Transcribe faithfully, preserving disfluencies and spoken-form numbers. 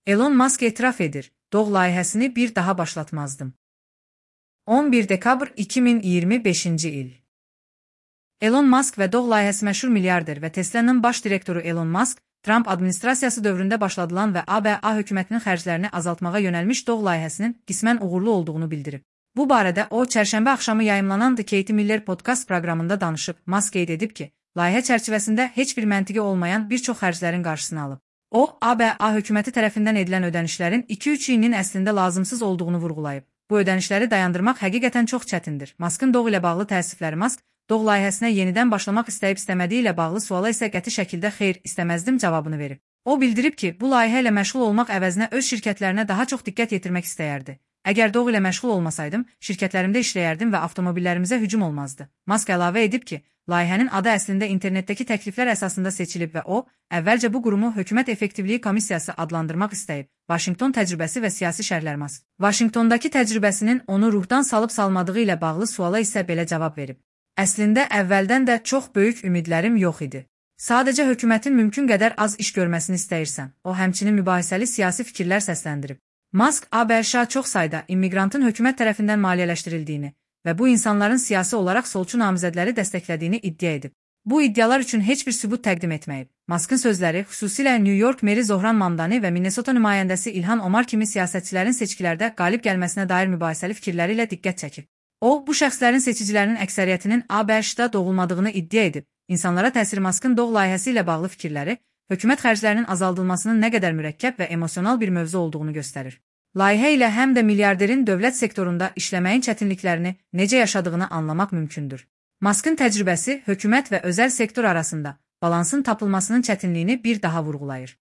Elon Musk etiraf edir, Doğ layihəsini bir daha başlatmazdım. on bir dekabr iki min iyirmi beşinci il. Elon Musk və Doğ layihəsi məşhur milyarder və Tesla'nın baş direktoru Elon Musk, Trump administrasiyası dövründə başladılan və A B A hökumətinin xərclərini azaltmağa yönəlmiş Doğ layihəsinin qismən uğurlu olduğunu bildirib. Bu barədə o, çərşənbə axşamı yayımlanan The Katie Miller podcast proqramında danışıb. Musk qeyd edib ki, layihə çərçivəsində heç bir məntiqi olmayan bir çox xərclərin qarşısını alıb. O, A B A hökuməti tərəfindən edilən ödənişlərin iki üç ilinin əslində lazımsız olduğunu vurğulayıb. Bu ödənişləri dayandırmaq həqiqətən çox çətindir. Musk'ın Doğ ilə bağlı təəssüfləri. Musk, Doğ layihəsinə yenidən başlamaq istəyib istəmədiyi ilə bağlı suala isə qəti şəkildə xeyr, istəməzdim cavabını verib. O bildirib ki, bu layihə ilə məşğul olmaq əvəzinə öz şirkətlərinə daha çox diqqət yetirmək istəyərdi. Əgər Doğ ilə məşğul olmasaydım, şirkətlərimdə işləyərdim və avtomobillərimizə hücum olmazdı. Musk əlavə edib ki, layihənin adı əslində internetdəki təkliflər əsasında seçilib və o, əvvəlcə bu qurumu Hökumət Effektivliyi Komissiyası adlandırmaq istəyib. Vaşinqton təcrübəsi və siyasi şərhlər. Musk Vaşinqtondakı təcrübəsinin onu ruhdan salıb salmadığı ilə bağlı suala isə belə cavab verib. Əslində əvvəldən də çox böyük ümidlərim yox idi. Sadəcə hökumətin mümkün qədər az iş görməsini istəyirsən. O, həmçinin mübahisəli siyasi fikirlər səsləndirib. Musk, A B Ş çox sayda immiqrantın hökumət tərəfindən maliyyələşdirildiyini və bu insanların siyasi olaraq solçu namizədləri dəstəklədiyini iddia edib. Bu iddialar üçün heç bir sübut təqdim etməyib. Musk'ın sözləri xüsusilə New York meri Zohran Mamdani və Minnesota nümayəndəsi İlhan Omar kimi siyasətçilərin seçkilərdə qalib gəlməsinə dair mübahisəli fikirləri ilə diqqət çəkib. O, bu şəxslərin seçicilərinin əksəriyyətinin A B Ş-da doğulmadığını iddia edib. İnsanlara təsir. Musk'ın Doğ layihəsi ilə bağlı fikirləri, hökumət xərclərinin azaldılmasının nə qədər mürəkkəb və emosional bir mövzu olduğunu göstərir. Layihə ilə həm də milyarderin dövlət sektorunda işləməyin çətinliklərini necə yaşadığını anlamaq mümkündür. Musk'ın təcrübəsi hökumət və özəl sektor arasında balansın tapılmasının çətinliyini bir daha vurğulayır.